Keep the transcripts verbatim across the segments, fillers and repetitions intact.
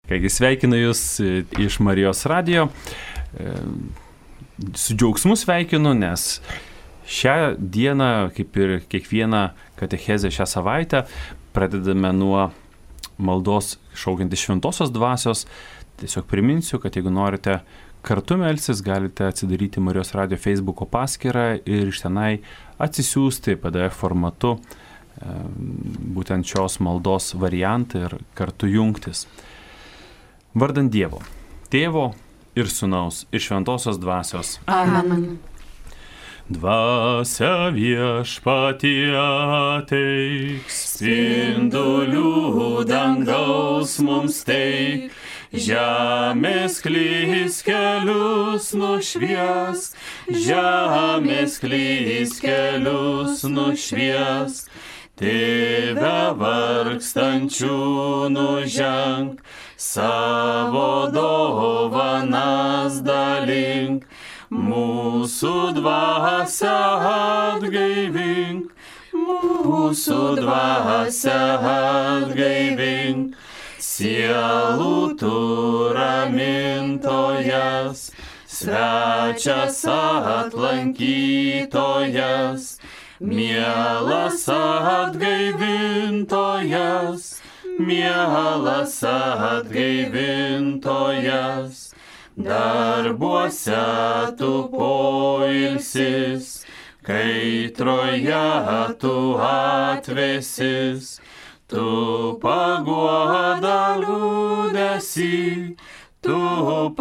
Kągi sveikinu Jūs iš Marijos radijo. Su džiaugsmu sveikinu, nes šią dieną, kaip ir kiekvieną katechezę šią savaitę, pradedame nuo maldos šaukiantis šventosios dvasios. Tiesiog priminsiu, kad jeigu norite kartu melstis, galite atsidaryti Marijos radijo Facebooko paskyrą ir iš tenai atsisiųsti P D F formatu būtent šios maldos variantą ir kartu jungtis. Vardant Dievo, Tėvo ir Sūnaus ir Šventosios Dvasios. Amen. Dvasia viešpatie ateik, spindulių dangaus mums teik, žemės klys kelius nušvies, žemės klys kelius nušvies, Tėve vargstančių nuženk, savo dovanas dalink, mūsų dvasią atgaivink, mūsų dvasią atgaivink, sielų tu ramintojas, svečias atlankytojas, mielas atgaivintojas, mielas atgaivintojas, darbuose tu poilsis, kaitroje tu atvėsis, tu paguoda liūdesį, tu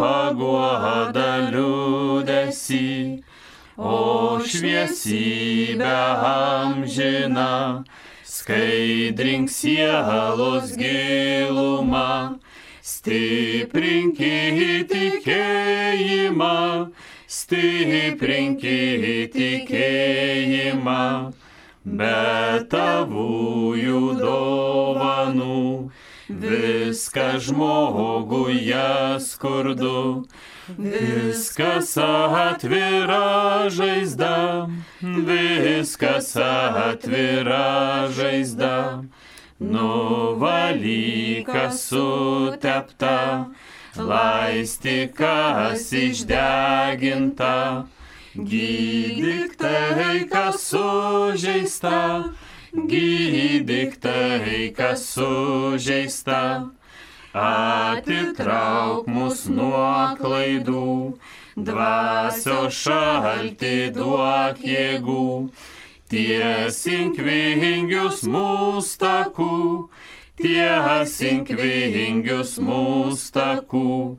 paguoda liūdesį, o šviesybę amžiną, skaidrink sielos gilumą, stiprinkit tikėjimą, stiprinkit tikėjimą, be tavųjų dovanų, viską žmoguje skurdu, viskas atvira žaizda, viskas atvira žaizda, nuvalykas sutepta, laistikas išdeginta, gydyk tai, kas sužeista, gydyk tai, kas sužeista, atitrauk mus nuo klaidų, dvasios šaltį duok jėgų, tiesink vingius mūsų takų, tiesink vingius mūsų takų,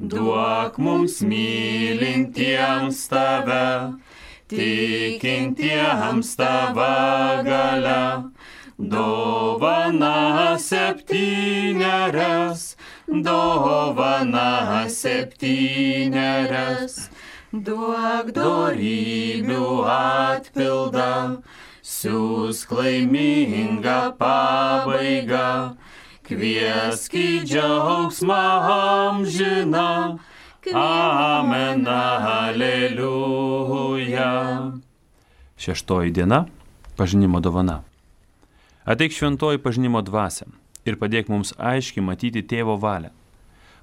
duok mums mylintiems tave, tikintiems tava galia, dovana septyniaras, dovana septyniaras, duok dorybių atpildą, siųsk laimingą pabaigą, kviesk į džiaugsmą amžiną, amen, aleliuja. Šeštoji diena – pažinimo dovana. Ateik šventoji pažinimo dvasia ir padėk mums aiškiai matyti Tėvo valią.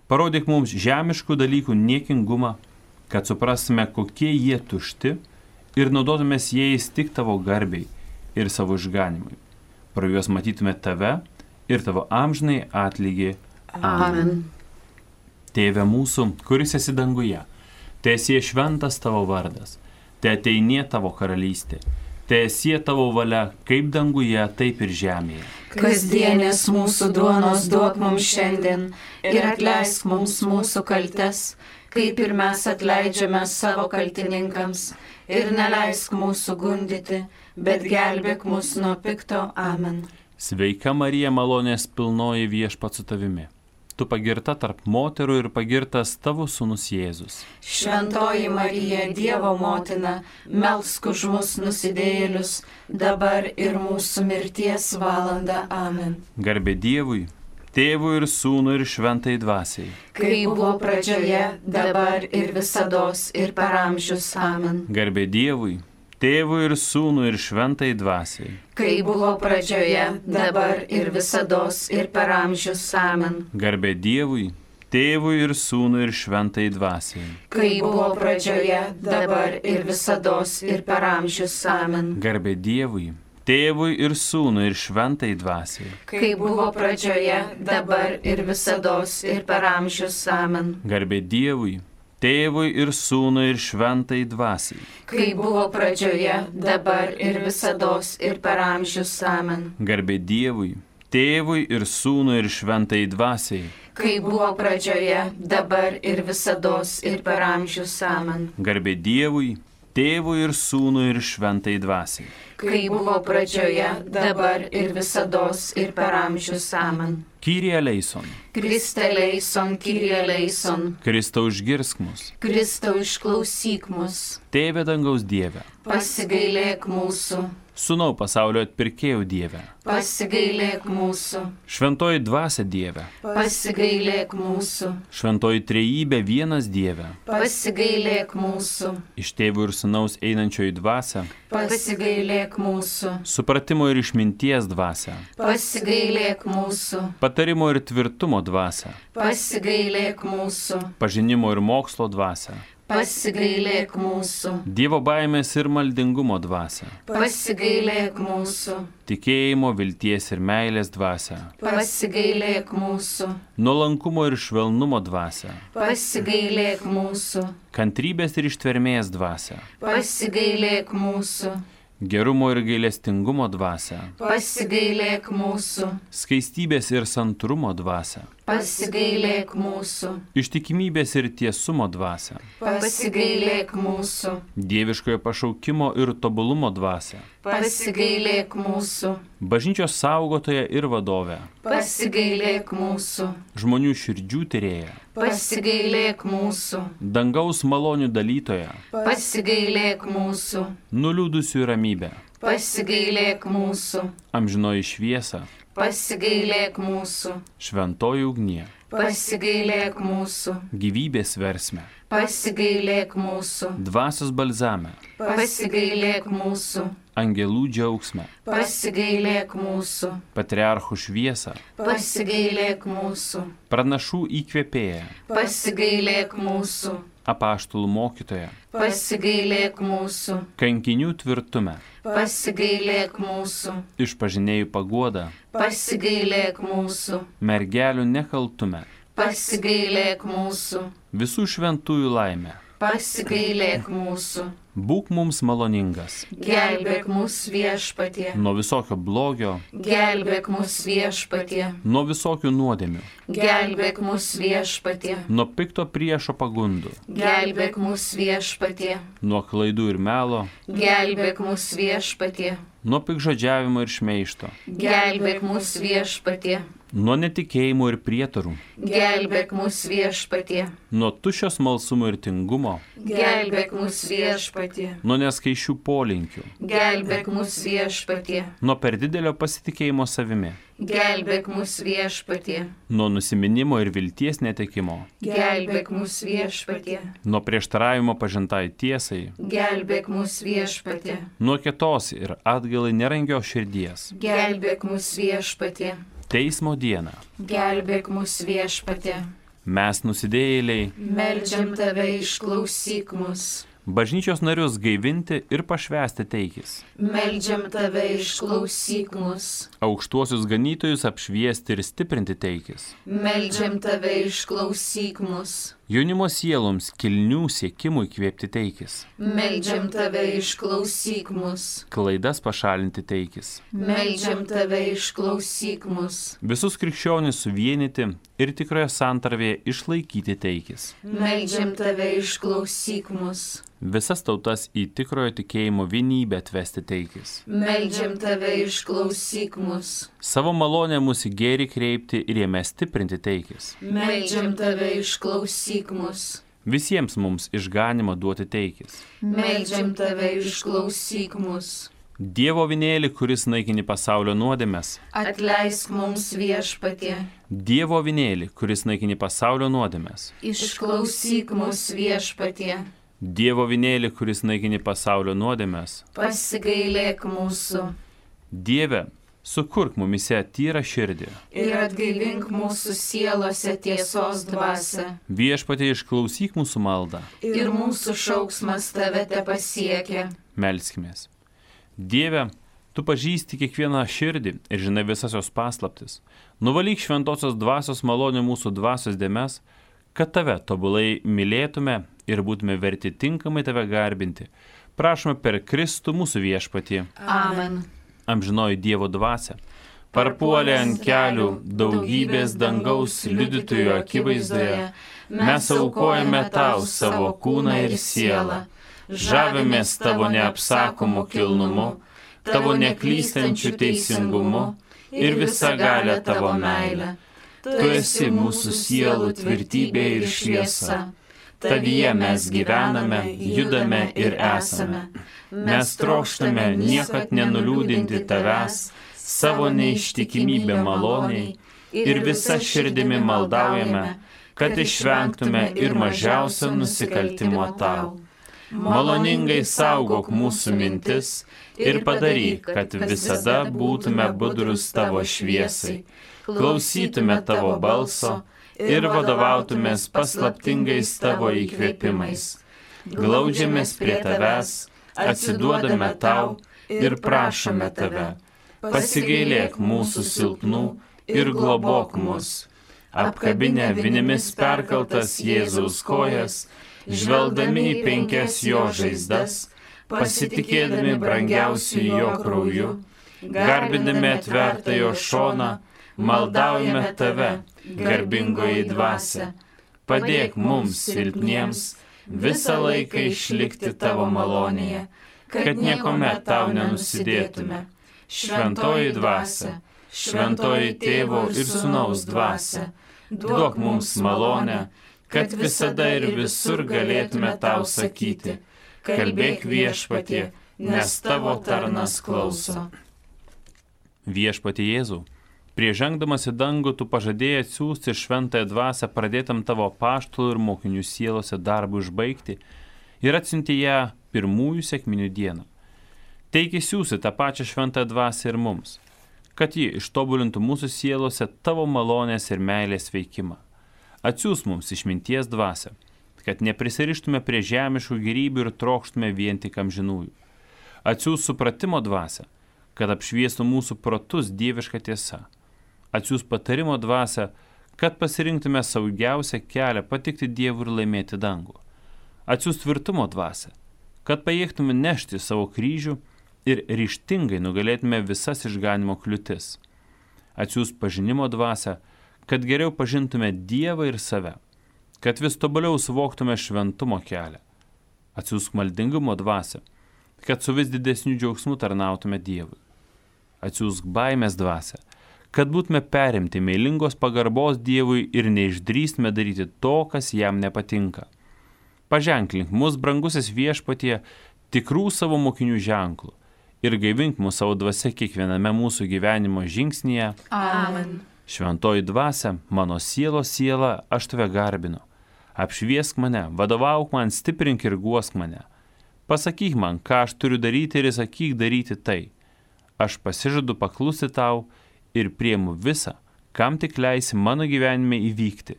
Parodyk mums žemiškų dalykų niekingumą, kad suprastume, kokie jie tušti ir naudotumės jais tik tavo garbiai ir savo išganimui. Pro juos matytume tave ir tavo amžinai atlygį. Amen. Tėve mūsų, kuris esi danguje, teesie šventas tavo vardas, teateinie tavo karalystė. Teesie tavo valia, kaip danguje, taip ir žemėje. Kasdienės mūsų duonos duok mums šiandien ir atleisk mums mūsų kaltes, kaip ir mes atleidžiame savo kaltininkams, ir neleisk mūsų gundyti, bet gelbėk mus nuo pikto. Amen. Sveika Marija, malonės pilnoji, Viešpats su tavimi. Tu pagirta tarp moterų ir pagirtas tavo sūnus Jėzus. Šventoji Marija, Dievo motina, melsk už mus nusidėjėlius, dabar ir mūsų mirties valanda. Amen. Garbė Dievui, Tėvui ir Sūnui ir Šventai Dvasiai. Kaip buvo pradžioje, dabar ir visados ir per amžius. Amen. Garbė Dievui, Tėvui ir Sūnui ir Šventai Dvasiai. Kai buvo pradžioje, dabar ir visados ir per amžius. Amen. Garbė Dievui, Tėvui ir Sūnui ir Šventai Dvasiai. Kai buvo pradžioje, dabar ir visados ir per amžius. Amen. Garbė Dievui, Tėvui ir Sūnui ir Šventai Dvasiai. Kai buvo pradžioje, dabar ir visados ir per amžius. Amen. Garbė Dievui, Tėvui ir Sūnui ir Šventai Dvasiai. Kai buvo pradžioje, dabar ir visados ir per amžius. Amen. Garbė Dievui, Tėvui ir Sūnui ir Šventai Dvasiai. Kai buvo pradžioje, dabar ir visados ir per amžius. Amen. Garbė Dievui, Tėvui ir Sūnui ir Šventai Dvasiai. Kai buvo pradžioje, dabar ir visados ir per amžius. Amen. Kyrie eleison. Kriste eleison, Kyrie eleison. Kristau išgirsk mus. Kristau išklausyk mus. Tėve dangaus Dieve. Pasigailėk mūsų. Sūnau pasaulio atpirkėjų Dieve. Pasigailėk mūsų. Šventoji Dvasia Dieve. Pasigailėk mūsų. Šventoji Trejybė vienas Dieve. Pasigailėk mūsų. Iš Tėvų ir Sūnaus einančioji Dvasia. Pasigailėk mūsų. Supratimo ir išminties Dvasia. Pasigailėk mūsų. Patarimo ir tvirtumo Dvasia. Pasigailėk mūsų. Pažinimo ir mokslo Dvasia. Pasigailėk mūsų. Dievo baimės ir maldingumo Dvasia. Pasigailėk mūsų. Tikėjimo, vilties ir meilės Dvasia. Pasigailėk mūsų. Nuolankumo ir švelnumo Dvasia. Pasigailėk mūsų. Kantrybės ir ištvermės Dvasia. Pasigailėk mūsų. Gerumo ir gailestingumo Dvasia. Pasigailėk mūsų. Skaistybės ir santrumo Dvasia. Pasigailėk mūsų. Ištikimybės ir tiesumo Dvasia. Pasigailėk mūsų. Dieviškojo pašaukimo ir tobulumo Dvasia. Pasigailėk mūsų. Bažnyčios saugotoja ir vadovė. Pasigailėk mūsų. Žmonių širdžių tyrėja. Pasigailėk mūsų. Dangaus malonių dalytoja. Pasigailėk mūsų. Nuliūdusių ramybė. Pasigailėk mūsų. Amžinoji šviesa. Pasigailėk mūsų. Šventoji ugnie. Pasigailėk mūsų. Gyvybės versme. Pasigailėk mūsų. Dvasios balzame. Pasigailėk mūsų. Angelų džiaugsme. Pasigailėk mūsų. Patriarchų šviesą. Pasigailėk mūsų. Pranašų įkvėpėja. Pasigailėk mūsų. Apaštalų mokytoja. Pasigailėk mūsų. Kankinių tvirtume. Pasigailėk mūsų. Išpažinėjų paguoda. Pasigailėk mūsų. Mergelių nekaltume. Pasigailėk mūsų. Visų šventųjų laimė. Pasigailėk mūsų. Būk mums maloningas. Gelbėk mus Viešpatie. Nuo visokio blogio. Gelbėk mus Viešpatie. Nuo visokių nuodėmių. Gelbėk mus Viešpatie. Nuo pikto priešo pagundų. Gelbėk mus Viešpatie. Nuo klaidų ir melo. Gelbėk mus Viešpatie. Nuo pikžodžiavimo ir šmeižto. Gelbėk mus Viešpatie. Nuo netikėjimų ir prietarų. Gelbėk mus Viešpatie. Nuo tuščio smalsumo ir tingumo. Gelbėk mus Viešpatie. Nuo neskaičių polinkių. Gelbėk mus Viešpatie. Nuo per didelio pasitikėjimo savimi. Gelbėk mus Viešpatie. Nuo nusiminimo ir vilties netekimo. Gelbėk mus Viešpatie. Nuo prieštaravimo pažintai tiesai. Gelbėk mus Viešpatie. Nuo kietos ir atgalai nerangios širdies. Gelbėk mus Viešpatie. Teismo dieną. Gelbėk mus Viešpatie. Mes nusidėjėliai. Meldžiam tave, išklausyk mus. Bažnyčios narius gaivinti ir pašvęsti teikis. Meldžiam tave, išklausyk mus. Aukštuosius ganytojus apšviesti ir stiprinti teikis. Meldžiam tave, išklausyk mus. Jaunimo sieloms kilnių siekimų įkvėpti teikis. Meldžiam tave, išklausyk mus. Klaidas pašalinti teikis. Meldžiam tave, išklausyk mus. Visus krikščionis suvienyti ir tikroje santarvėje išlaikyti teikis. Meldžiam tave, išklausyk mus. Visas tautas į tikrojo tikėjimo vienybę atvesti teikis. Meldžiam tave, išklausyk mus. Savo malonę mūsų gėrį kreipti ir jame stiprinti teikis. Meldžiam tave, išklausyk mus. Visiems mums išganimą duoti teikis. Meldžiam tave, išklausyk mus. Dievo avinėli, kuris naikini pasaulio nuodėmes. Atleisk mums Viešpatie. Dievo avinėli, kuris naikini pasaulio nuodėmes. Išklausyk mus Viešpatie. Dievo vinėlį, kuris naikini pasaulio nuodėmes, pasigailėk mūsų. Dieve, sukurk mumise tyrą širdį Ir atgaivink mūsų sielose tiesos dvasią. Viešpatie, išklausyk mūsų maldą. Ir mūsų šauksmas tave te pasiekia. Melskimės. Dieve, tu pažįsti kiekvieną širdį ir žinai visas jos paslaptis. Nuvalyk šventosios dvasios malonę mūsų dvasios dėmes, kad tave tobulai mylėtume ir būtume verti tinkamai tave garbinti. Prašome per Kristų mūsų viešpatį. Amen. Amžinoji Dievo dvasia parpuolė ant kelių daugybės dangaus liudytojų akivaizdoje. Mes aukojame tau savo kūną ir sielą. Žavimės tavo neapsakomu kilnumu, tavo neklystančiu teisingumu ir visagalę tavo meilę. Tu esi mūsų sielų tvirtybė ir šviesa. Tavyje mes gyvename, judame ir esame. Mes trokštame niekad nenuliūdinti tavęs, savo neištikimybę maloniai ir visa širdimi maldaujame, kad išvengtume ir mažiausio nusikaltimo tau. Maloningai saugok mūsų mintis ir padaryk, kad visada būtume budrus tavo šviesai, klausytume tavo balso ir vadovautumės paslaptingais tavo įkvėpimais. Glaudžiamės prie tavęs, atsiduodame tau ir prašome tave. Pasigailėk mūsų silpnų ir globok mus. Apkabinę vinimis perkaltas Jėzaus kojas, žvelgdami į penkias jo žaizdas, pasitikėdami brangiausiu jo krauju, garbindami atvertą jo šoną, maldaujame tave, garbingoji dvasia. Padėk mums silpniems visą laiką išlikti tavo malonėje, kad niekuomet tau nenusidėtume. Šventoji dvasia, šventoji tėvo ir sūnaus dvasia, duok mums malonę, kad visada ir visur galėtume tau sakyti, kalbėk viešpatie, nes tavo tarnas klauso. Viešpatie Jėzau, prieš žengdamas į dangų tu pažadėjai atsiųsti šventąją dvasią pradėtam tavo apaštalų ir mokinių sielose darbui užbaigti ir atsiunti ją pirmųjų sekminių dieną. Teiki siųsi tą pačią šventąją dvasią ir mums, kad ji ištobulintų mūsų sielose tavo malonės ir meilės veikimą. Atsiųs mums išminties dvasią, kad neprisirištume prie žemiškų gėrybių ir trokštume vien tik amžinųjų. Atsiųs supratimo dvasią, kad apšviestų mūsų protus dieviška tiesa. Atsiųs patarimo dvasią, kad pasirinktume saugiausią kelią patikti Dievui ir laimėti dangų. Atsiųs tvirtumo dvasią, kad pajėgtume nešti savo kryžių ir ryžtingai nugalėtume visas išganimo kliūtis. Atsiųs pažinimo dvasią, kad geriau pažintume Dievą ir save, kad vis tobuliau suvoktume šventumo kelią. Atsiųsk maldingumo dvasią, kad su vis didesniu džiaugsmu tarnautume Dievui. Atsiųsk baimės dvasią, kad būtume perimti meilingos pagarbos Dievui ir neišdrįstume daryti to, kas jam nepatinka. Paženklink mus, brangusis viešpatie, tikrų savo mokinių ženklų ir gaivink mus savo dvasia kiekviename mūsų gyvenimo žingsnyje. Amen. Šventoji dvasia, mano sielos siela, aš tave garbinu. Apšviesk mane, vadovauk man, stiprink ir guosk mane. Pasakyk man, ką aš turiu daryti ir įsakyk daryti tai. Aš pasižadu paklusti tau ir priimu visą, kam tik leisi mano gyvenime įvykti.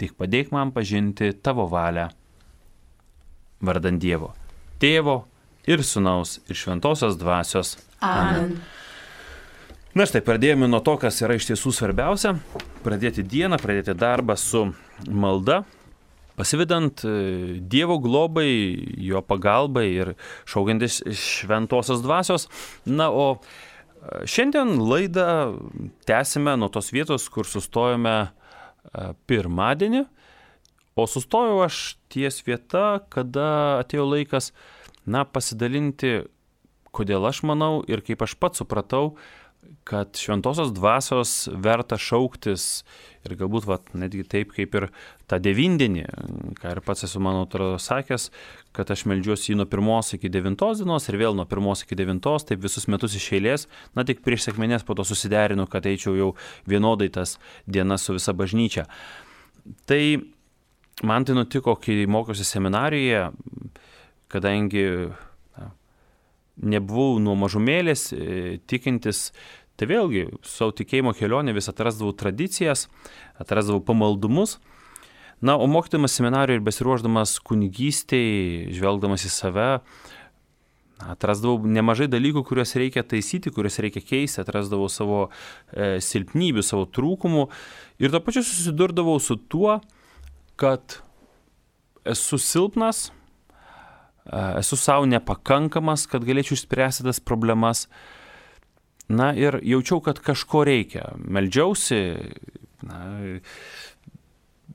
Tik padėk man pažinti tavo valią. Vardan Dievo, Tėvo ir Sūnaus ir Šventosios dvasios. Amen. Na štai, pradėjome nuo to, kas yra iš tiesų svarbiausia. Pradėti dieną, pradėti darbą su malda, pasivedant Dievo globai, jo pagalbai ir šaukiantis Šventosios dvasios. Na, o šiandien laidą tęsime nuo tos vietos, kur sustojome pirmadienį, o sustojau aš ties vieta, kada atėjo laikas, na, pasidalinti, kodėl aš manau ir kaip aš pats supratau, kad Šventosios dvasios verta šauktis ir galbūt vat, netgi taip kaip ir tą devindienį, ką ir pats esu mano atrodo sakęs, kad aš meldžiuosi jį nuo pirmos iki devintos dienos ir vėl nuo pirmos iki devintos, taip visus metus iš eilės, na tik prieš sekmines po to susiderinu, kad eičiau jau vienodai tas dienas su visa bažnyčia. Tai man tai nutiko, kai mokiausi seminarijoje, kadangi na, nebuvau nuo mažumėlės tikintis, tai vėlgi savo tikėjimo kelionė vis atrasdavau tradicijas, atrasdavau pamaldumus. Na, o mokydamas seminarijoje ir besiruošdamas kunigystėj, žvelgdamas į save, atrasdavau nemažai dalykų, kuriuos reikia taisyti, kuriuos reikia keisti, atrasdavau savo e, silpnybių, savo trūkumų ir to pačiu susidurdavau su tuo, kad esu silpnas, e, esu savo nepakankamas, kad galėčiau išspręsti tas problemas. Na ir jaučiau, kad kažko reikia. Meldžiausi, na,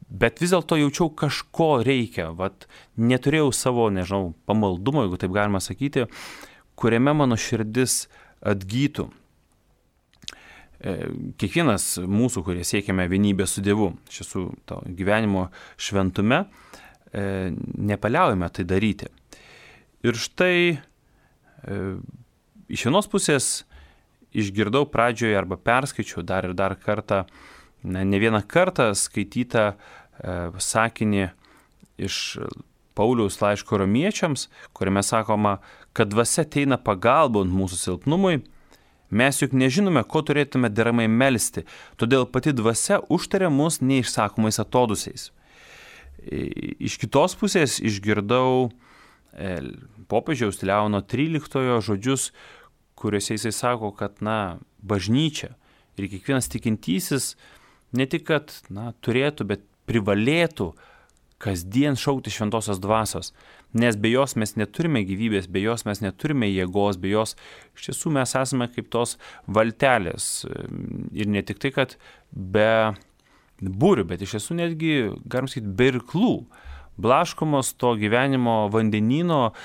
bet vis dėlto jaučiau, kažko reikia. Vat neturėjau savo, nežinau, pamaldumo, jeigu taip galima sakyti, kuriame mano širdis atgytų. Kiekvienas mūsų, kurie siekiame vienybės su Dievu, iš tiesų to gyvenimo šventume, nepaliaujame tai daryti. Ir štai iš vienos pusės išgirdau pradžioje arba perskaičiau dar ir dar kartą, ne, ne vieną kartą skaitytą e, sakinį iš Pauliaus laiško romiečiams, kuriame sakoma, kad dvasia ateina pagalbon mūsų silpnumui, mes juk nežinome, ko turėtume deramai melsti, todėl pati dvasia užtaria mus neišsakomais atodusiais. Iš kitos pusės išgirdau e, popiežiaus Leono tryliktojo žodžius, kuriuose jisai sako, kad, na, bažnyčia ir kiekvienas tikintysis ne tik, kad, na, turėtų, bet privalėtų kasdien šaukti šventosios dvasios, nes be jos mes neturime gyvybės, be jos mes neturime jėgos, be jos iš tiesų mes esame kaip tos valtelės ir ne tik tai, kad be būrių, bet iš tiesų netgi, galim sakyti, be irklų. Blaškomos to gyvenimo vandenyno,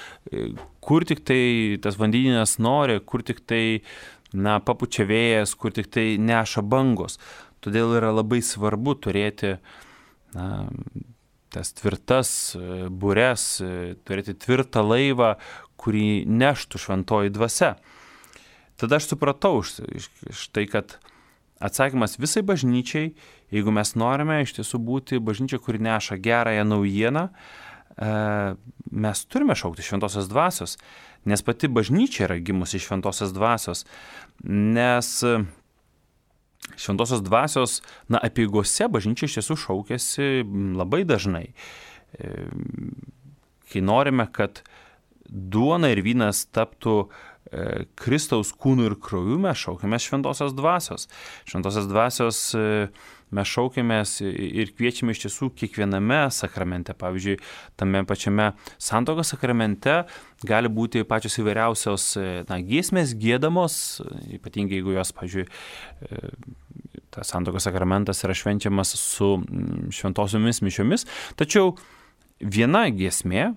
kur tik tai tas vandenynas nori, kur tik tai, na, papučia vėjas, kur tik tai neša bangos. Todėl yra labai svarbu turėti, na, tas tvirtas bures, turėti tvirtą laivą, kurį neštų šventoji dvasia. Tada aš supratau štai, kad atsakymas visai bažnyčiai, jeigu mes norime iš tiesų būti bažnyčia, kuri neša gerąją naujieną, mes turime šaukti šventosios dvasios, nes pati bažnyčia yra gimusi iš šventosios dvasios, nes šventosios dvasios, na, apeigose bažnyčia iš tiesų šaukiasi labai dažnai. Kai norime, kad duona ir vynas taptų Kristaus kūnų ir krauju, mes šaukėmės šventosios dvasios. Šventosios dvasios mes šaukėmės ir kviečiame iš tiesų kiekviename sakramente. Pavyzdžiui, tame pačiame santuokos sakramente gali būti pačios įvairiausios, na, giesmės giedamos, ypatingai jeigu jos, pavyzdžiui, tas santuokos sakramentas yra švenčiamas su šventosiomis mišiomis. Tačiau viena giesmė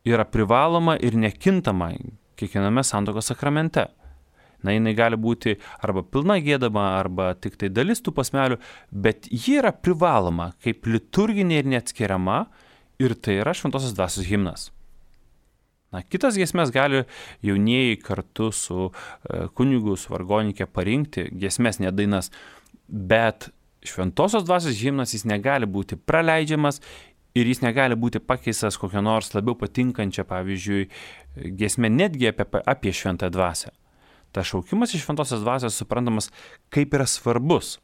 yra privaloma ir nekintama kiekviename santuokos sakramente. Na, jinai gali būti arba pilna giedama, arba tik tai dalis tų posmelių, bet ji yra privaloma kaip liturginė ir neatskiriama, ir tai yra šventosios dvasios himnas. Na, kitas giesmes gali jaunieji kartu su kunigu, su vargonike parinkti, giesmes, ne dainas, bet šventosios dvasios himnas jis negali būti praleidžiamas ir jis negali būti pakeistas kokią nors labiau patinkančią, pavyzdžiui, giesmę netgi apie, apie šventąją dvasią. Ta šaukimas iš šventosios dvasios suprantamas, kaip yra svarbus.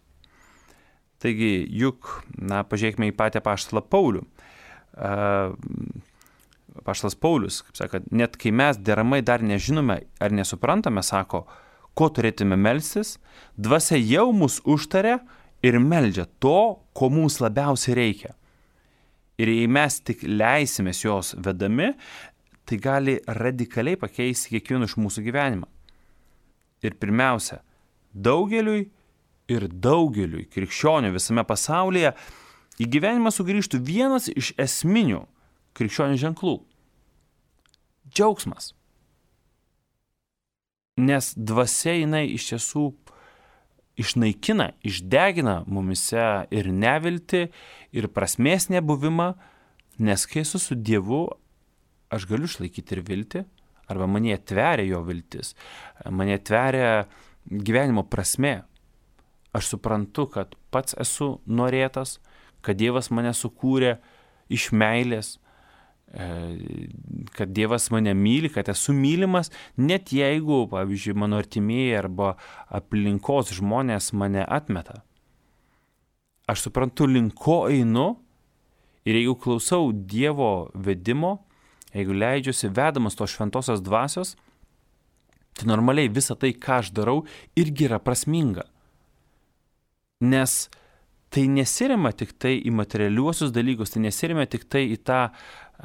Taigi, juk, na, pažiūrėkime į patį apaštalą Paulių. Apaštalas Paulius, kaip sakant, net kai mes deramai dar nežinome ar nesuprantame, sako, ko turėtume melstis, dvasia jau mus užtaria ir meldžia to, ko mums labiausiai reikia. Ir jei mes tik leisimės jos vedami, tai gali radikaliai pakeisti kiekvieno iš mūsų gyvenimą. Ir pirmiausia, daugeliui ir daugeliui krikščionių visame pasaulyje į gyvenimą sugrįžtų vienas iš esminių krikščionių ženklų – džiaugsmas. Nes dvasia jinai iš tiesų išnaikina, išdegina mumise ir neviltį, ir prasmės nebuvimą, nes kai esu su Dievu, aš galiu išlaikyti ir viltį, arba mane tveria jo viltis, mane tveria gyvenimo prasmė. Aš suprantu, kad pats esu norėtas, kad Dievas mane sukūrė iš meilės, kad Dievas mane myli, kad esu mylimas, net jeigu, pavyzdžiui, mano artimieji arba aplinkos žmonės mane atmeta. Aš suprantu, link ko einu ir jeigu klausau Dievo vedimo, jeigu leidžiuosi vedamas tos šventosios dvasios, tai normaliai visa tai, ką aš darau, irgi yra prasminga. Nes tai nesirima tik tai į materialiuosius dalykus, tai nesirima tik tai į tą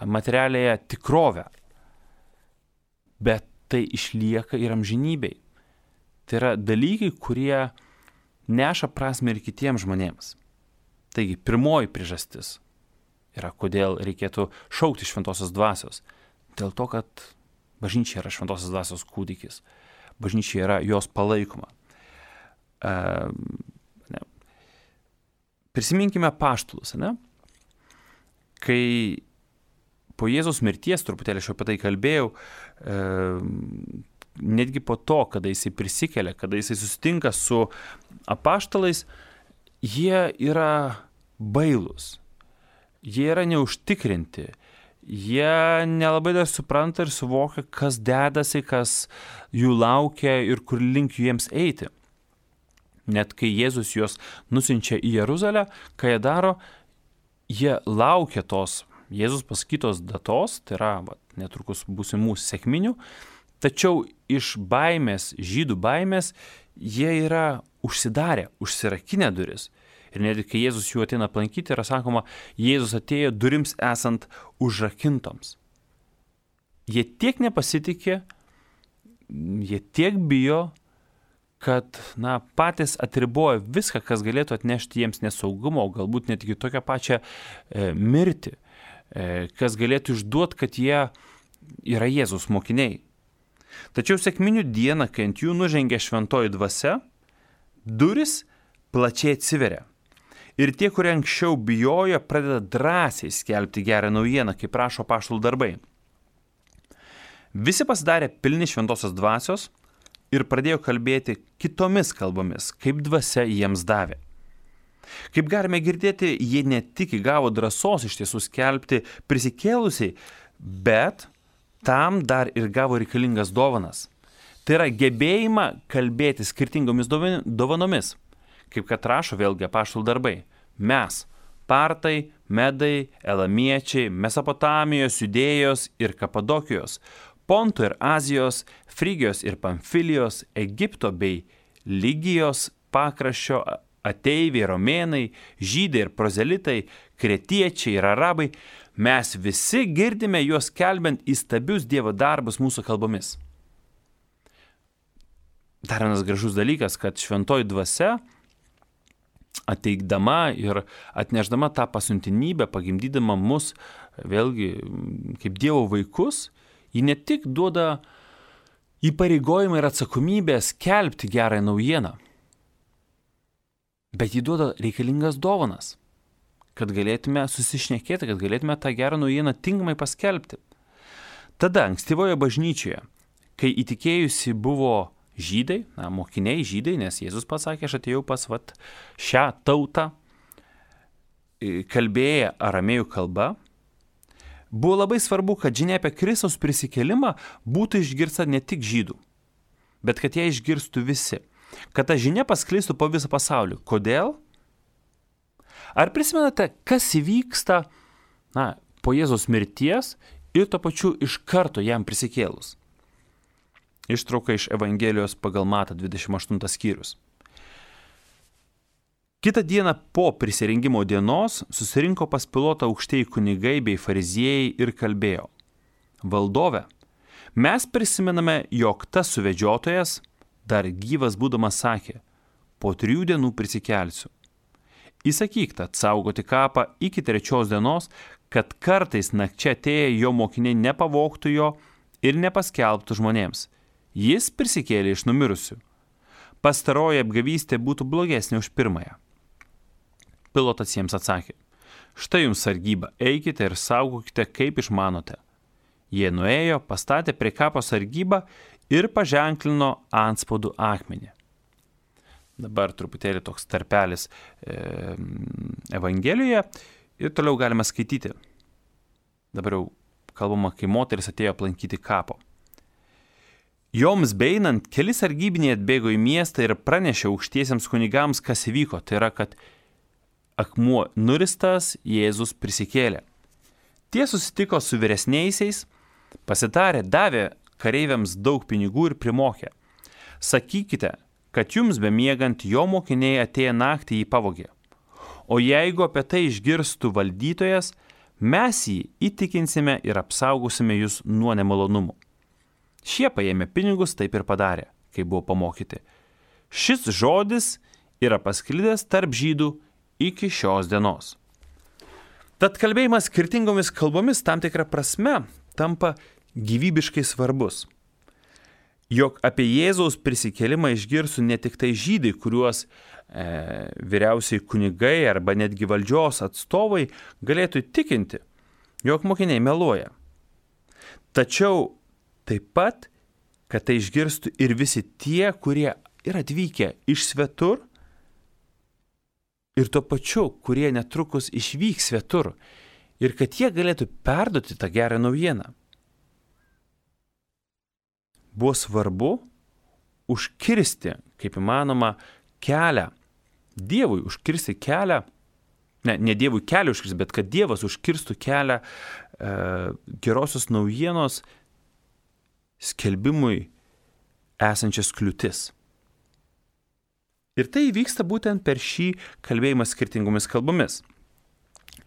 materialiąją tikrovę, bet tai išlieka ir amžinybei. Tai yra dalykai, kurie neša prasmę ir kitiems žmonėms. Taigi, pirmoji priežastis yra, kodėl reikėtų šaukti šventosios dvasios. Dėl to, kad bažnyčia yra šventosios dvasios kūdikis. Bažnyčia yra jos palaikoma. Uh, ne. Prisiminkime apaštalus, ne? Kai po Jėzaus mirties, truputėlį aš apie tai kalbėjau, e, netgi po to, kada jisai prisikelia, kada jisai susitinka su apaštalais, jie yra bailūs, jie yra neužtikrinti, jie nelabai dar supranta ir suvokia, kas dedasi, kas jų laukia ir kur link jiems eiti. Net kai Jėzus juos nusiunčia į Jeruzalę, ką jie daro, jie laukia tos Jėzus pasakytos datos, tai yra va, netrukus būsimų sekminių, tačiau iš baimės, žydų baimės, jie yra užsidarę, užsirakinę duris. Ir net kai Jėzus jų ateina aplankyti, yra sakoma, Jėzus atėjo durims esant užrakintoms. Jie tiek nepasitikė, jie tiek bijo, kad na, patys atriboja viską, kas galėtų atnešti jiems nesaugumo, o galbūt net iki tokią pačią e, mirtį, e, kas galėtų išduoti, kad jie yra Jėzaus mokiniai. Tačiau sekminių dieną, kai ant jų nužengė šventoji dvasia, duris plačiai atsiveria. Ir tie, kurie anksčiau bijojo, pradeda drąsiai skelbti gerą naujieną, kaip prašo apaštalų darbai. Visi pasidarė pilni šventosios dvasios ir pradėjo kalbėti kitomis kalbomis, kaip dvasia jiems davė. Kaip galime girdėti, jie ne tik įgavo drąsos iš tiesų skelbti prisikėlusiai, bet tam dar ir gavo reikalingas dovanas. Tai yra gebėjimą kalbėti skirtingomis dovanomis, kaip kad rašo vėlgi apaštalų darbai. Mes, partai, medai, elamiečiai, Mesopotamijos, Judėjos ir Kapadokijos, Ponto ir Azijos, Frygijos ir Pamfilijos, Egipto bei Lygijos pakraščio ateiviai, romėnai, žydai ir prozelitai, kretiečiai ir arabai, mes visi girdime juos kelbiant įstabius Dievo darbus mūsų kalbomis. Dar vienas gražus dalykas, kad šventoji dvasia ateikdama ir atnešdama tą pasiuntinybę, pagimdydama mus vėlgi kaip Dievo vaikus, ji ne tik duoda įpareigojimą ir atsakomybę skelbti gerąją naujieną, bet ji duoda reikalingas dovanas, kad galėtume susišnekėti, kad galėtume tą gerą naujieną tinkamai paskelbti. Tada ankstyvoje bažnyčioje, kai įtikėjusi buvo žydai, na, mokiniai žydai, nes Jėzus pasakė, aš atėjau pas vat, šią tautą, kalbėję aramėjų kalba, buvo labai svarbu, kad žinia apie Kristaus prisikėlimą būtų išgirsta ne tik žydų, bet kad ją išgirstų visi, kad ta žinia pasklistų po visą pasaulį. Kodėl? Ar prisimenate, kas įvyksta na, po Jėzaus mirties ir tuo pačiu iš karto jam prisikėlus? Ištrauka iš Evangelijos pagal Matą dvidešimt aštuntas skyrius. Kitą dieną po prisirengimo dienos susirinko pas Pilotą aukštieji kunigai bei fariziejai ir kalbėjo. Valdove, mes prisimename, jog tas suvedžiotojas, dar gyvas būdamas sakė, po trijų dienų prisikelsiu. Įsakyk tad saugoti kapą iki trečios dienos, kad kartais nakčia atėję jo mokiniai nepavogtų jo ir nepaskelbtų žmonėms. Jis prisikėlė iš numirusių. Pastaroji apgavystė būtų blogesnė už pirmąją. Pilotas jiems atsakė, štai jums sargyba, eikite ir saugokite, kaip išmanote. Jie nuėjo, pastatė prie kapo sargybą ir paženklino antspaudų akmenį. Dabar truputėlį toks tarpelis e, Evangelijoje ir toliau galime skaityti. Dabar jau kalbama, kai moteris atėjo aplankyti kapo. Joms beinant, keli sargybiniai atbėgo į miestą ir pranešė aukštiesiems kunigams, kas įvyko. Tai yra, kad akmuo nuristas, Jėzus prisikėlė. Tie susitiko su vyresniaisiais, pasitarė, davė kareiviams daug pinigų ir primokė. Sakykite, kad jums bemiegant jo mokiniai atėję naktį jį pavogė. O jeigu apie tai išgirstų valdytojas, mes jį įtikinsime ir apsaugosime jūs nuo nemalonumų. Šie paėmė pinigus, taip ir padarė, kai buvo pamokyti. Šis žodis yra pasklidęs tarp žydų iki šios dienos. Tad kalbėjimas skirtingomis kalbomis tam tikrą prasme tampa gyvybiškai svarbus. Jog apie Jėzaus prisikėlimą išgirstų ne tik tai žydai, kuriuos e, vyriausiai kunigai arba netgi valdžios atstovai galėtų tikinti, jog mokiniai meluoja. Tačiau taip pat, kad tai išgirstų ir visi tie, kurie yra atvykę iš svetur ir tuo pačiu, kurie netrukus išvyks svetur ir kad jie galėtų perduoti tą gerą naujieną. Buvo svarbu užkirsti, kaip įmanoma, kelią, Dievui užkirsti kelią, ne, ne Dievui kelią užkirsti, bet kad Dievas užkirstų kelią e, gerosios naujienos skelbimui esančias kliūtis. Ir tai vyksta būtent per šį kalbėjimą skirtingomis kalbomis.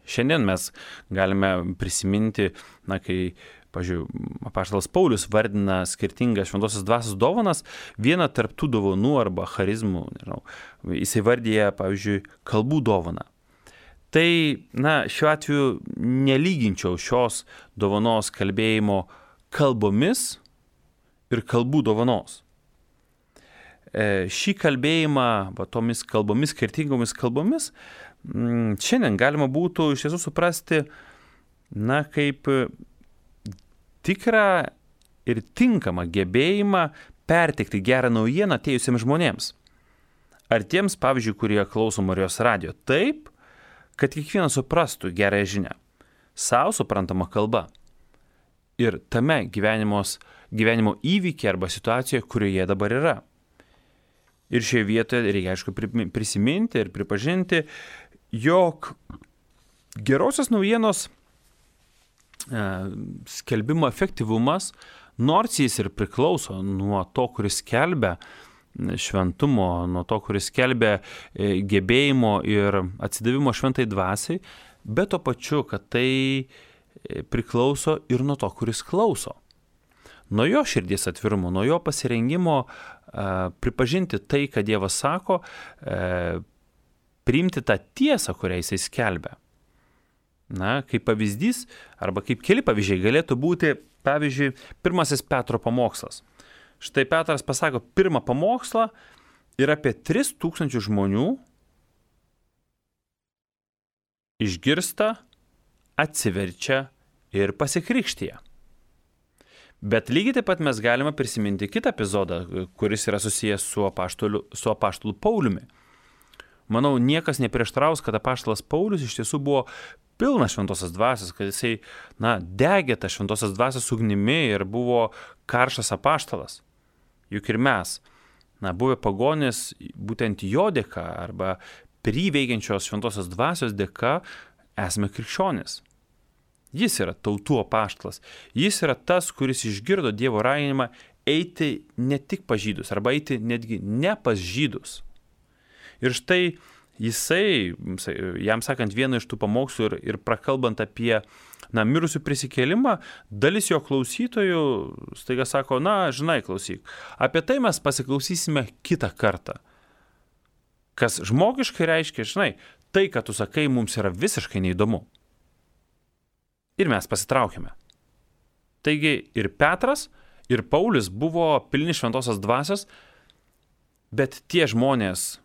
Šiandien mes galime prisiminti, na, kai, pavyzdžiui, apaštalas Paulius vardina skirtingas šventosios dvasios dovanas, vieną tarp tų dovanų arba charizmų, nežinau, jisai vardyja, pavyzdžiui, kalbų dovaną. Tai, na, šiuo atveju nelyginčiau šios dovanos kalbėjimo kalbomis ir kalbų dovanos. E, šį kalbėjimą, va, tomis kalbomis, skirtingomis kalbomis, m, šiandien galima būtų iš tiesų suprasti, na, kaip tikrą ir tinkamą gebėjimą perteikti gerą naujieną atėjusiems žmonėms. Ar tiems, pavyzdžiui, kurie klauso Marijos radijo, taip, kad kiekvienas suprastų gerąją žinią, savo suprantama kalba ir tame gyvenimos, gyvenimo įvykiai arba situacijoje, kurioje dabar yra. Ir šioje vietoje reikia, aišku, prisiminti ir pripažinti, jog gerosios naujienos skelbimo efektyvumas, nors jis ir priklauso nuo to, kuris skelbia šventumo, nuo to, kuris skelbia gebėjimo ir atsidavimo šventai dvasiai, bet to pačiu, kad tai priklauso ir nuo to, kuris klauso. Nuo jo širdies atvirumo, nuo jo pasirengimo pripažinti tai, ką Dievas sako, priimti tą tiesą, kurią jisai skelbia. Na, kaip pavyzdys, arba kaip keli pavyzdžiai galėtų būti, pavyzdžiui, pirmasis Petro pamokslas. Štai Petras pasako pirmą pamokslą ir apie tris tūkstančius žmonių išgirsta, atsiverčia ir pasikrikštija. Bet lygiai taip pat mes galime prisiminti kitą epizodą, kuris yra susijęs su apaštulu, su apaštulu Pauliumi. Manau, niekas neprieštraus, kad apaštalas Paulius iš tiesų buvo pilnas šventosios dvasios, kad jisai, na, degė tą šventosios dvasios ugnimi ir buvo karštas apaštalas. Juk ir mes, na, buvę pagonys, būtent jo dėka arba priveikiančios šventosios dvasios dėka esame krikščionys. Jis yra tautų apaštalas. Jis yra tas, kuris išgirdo Dievo raginimą eiti ne tik pas žydus, arba eiti netgi ne pas žydus. Ir štai jisai, jam sakant vieną iš tų pamokslų ir, ir prakalbant apie, na, mirusių prisikėlimą, dalis jo klausytojų staiga sako, na, žinai, klausyk, apie tai mes pasiklausysime kitą kartą. Kas žmogiškai reiškia, žinai, tai, ką tu sakai, mums yra visiškai neįdomu. Ir mes pasitraukėme. Taigi ir Petras, ir Paulius buvo pilni šventosios dvasios, bet tie žmonės,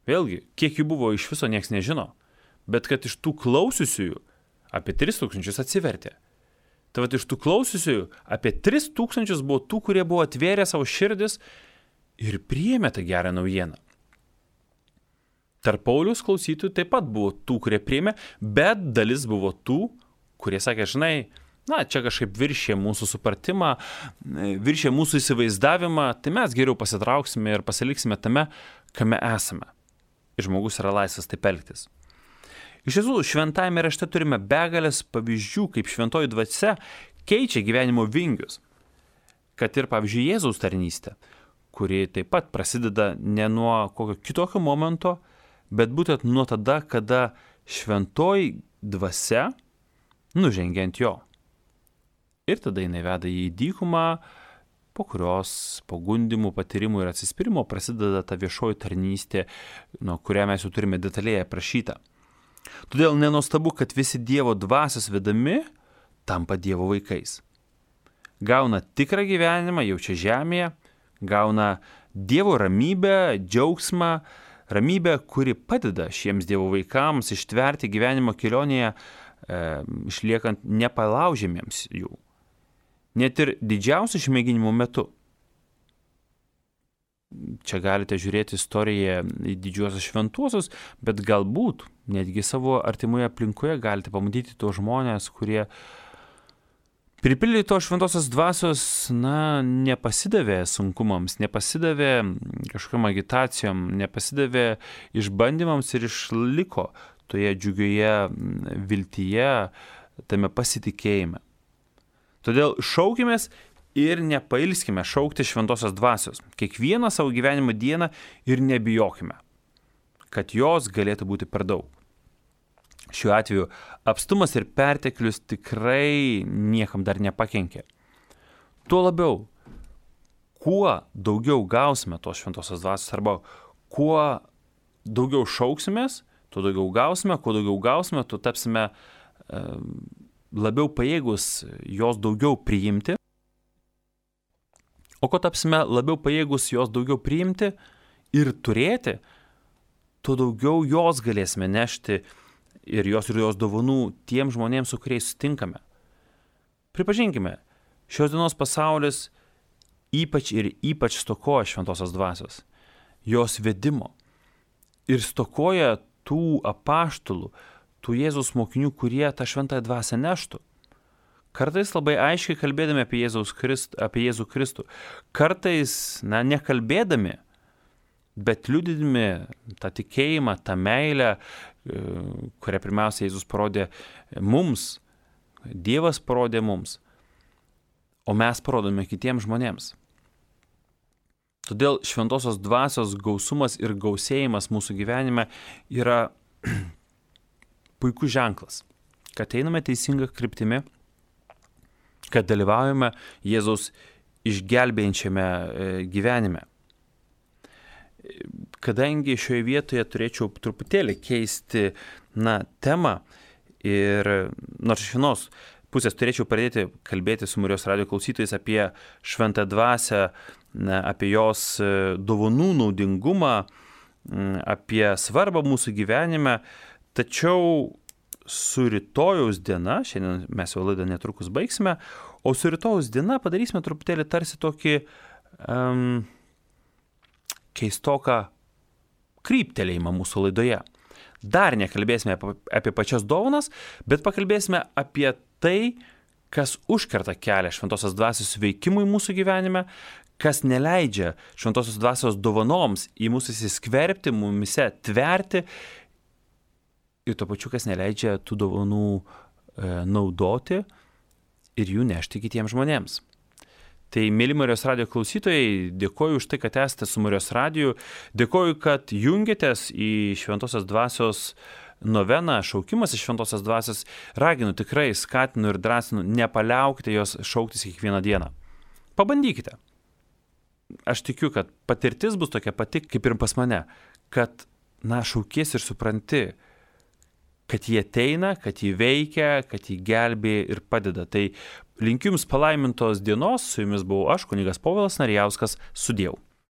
vėlgi, kiek jų buvo iš viso nieks nežino, bet kad iš tų klausiusiųjų apie tris tūkstančius atsivertė. Tai vat iš tų klausiusiųjų apie tris tūkstančius buvo tų, kurie buvo atvėrę savo širdis ir priėmė tą gerą naujieną. Tarp Pauliaus klausytojų taip pat buvo tų, kurie priėmė, bet dalis buvo tų, kurie sakė, žinai, na, čia kažkaip viršė mūsų supratimą, viršė mūsų įsivaizdavimą, tai mes geriau pasitrauksime ir pasiliksime tame, kame esame. Ir žmogus yra laisvas taip elgtis. Iš tiesų, šventajame rašte turime begalės pavyzdžių, kaip šventoji dvasia keičia gyvenimo vingius. Kad ir, pavyzdžiui, Jėzaus tarnystė, kuri taip pat prasideda ne nuo kokio kitokio momento, bet būtent nuo tada, kada šventoji dvasia nužengia ant jo. Ir tada jinai veda į dykumą, po kurios po gundimų, patyrimų ir atsispyrimo prasideda ta viešoji tarnystė, nuo kurią mes jau turime detaliai aprašytą. Todėl nenuostabu, kad visi Dievo dvasios vedami tampa Dievo vaikais. Gauna tikrą gyvenimą jau čia žemėje, gauna Dievo ramybę, džiaugsmą, ramybę, kuri padeda šiems Dievo vaikams ištverti gyvenimo kelionėje, e, išliekant nepalaužiamiems jų. Net ir didžiausių išmėginimų metu. Čia galite žiūrėti istoriją į didžiuosius šventuosius, bet galbūt netgi savo artimoje aplinkoje galite pamatyti tos žmonės, kurie pripildė to šventosios dvasios, na, nepasidavė sunkumams, nepasidavė kažkokiam agitacijom, nepasidavė išbandymams ir išliko toje džiugioje viltyje, tame pasitikėjime. Todėl šaukimės ir nepailskime šaukti šventosios dvasios kiekvieną savo gyvenimo dieną ir nebijokime, kad jos galėtų būti per daug. Šiuo atveju apstumas ir perteklius tikrai niekam dar nepakenkė. Tuo labiau, kuo daugiau gausime tos šventosios dvasios arba kuo daugiau šauksimės, tuo daugiau gausime, kuo daugiau gausime, tuo tapsime e, labiau pajėgus jos daugiau priimti. O ko tapsime labiau pajėgus jos daugiau priimti ir turėti, tuo daugiau jos galėsime nešti ir jos ir jos dovanų tiem žmonėms, su kuriais sutinkame. Pripažinkime, šios dienos pasaulis ypač ir ypač stokoja šventosios dvasios, jos vedimo ir stokoja tų apaštalų, tų Jėzaus mokinių, kurie tą šventąją dvasią neštų. Kartais labai aiškiai kalbėdami apie, Jėzaus Krist, apie Jėzų Kristų, kartais, na, nekalbėdami, bet liudydami tą tikėjimą, tą meilę, kurią pirmiausia Jėzus parodė mums, Dievas parodė mums, o mes parodome kitiems žmonėms. Todėl šventosios dvasios gausumas ir gausėjimas mūsų gyvenime yra puikus ženklas, kad einame teisinga kryptimi, kad dalyvaujame Jėzaus išgelbėjančiame gyvenime. Kadangi šioje vietoje turėčiau truputėlį keisti, na, temą ir nors iš vienos pusės turėčiau pradėti kalbėti su Marijos radijo klausytojais apie šventą dvasią, na, apie jos dovanų naudingumą, apie svarbą mūsų gyvenime, tačiau su rytojaus diena, šiandien mes jau laidą netrukus baigsime, o su rytojaus diena padarysime truputėlį tarsi tokį um, keistoką kryptelėjimą mūsų laidoje. Dar nekalbėsime apie, apie pačias dovanas, bet pakalbėsime apie tai, kas užkerta kelią šventosios dvasios veikimui mūsų gyvenime, kas neleidžia šventosios dvasios dovanoms į mūsų įsiskverbti, mumise tverti ir tuo pačiu, kas neleidžia tų dovanų e, naudoti ir jų nešti kitiems žmonėms. Tai, mėly Marijos radijo klausytojai, dėkoju už tai, kad esate su Marijos radiju, dėkoju, kad jungiatės į šventosios dvasios noveną, šaukimas iš šventosios dvasios, raginu tikrai, skatinu ir drąsinu, nepaliaukite jos šauktis kiekvieną dieną. Pabandykite. Aš tikiu, kad patirtis bus tokia pati, kaip ir pas mane, kad, na, šaukies ir supranti, kad jie ateina, kad jie veikia, kad jie gelbėja ir padeda. Tai linkiu jums palaimintos dienos, su jumis buvau aš, kunigas Povilas Narijauskas, sudiev.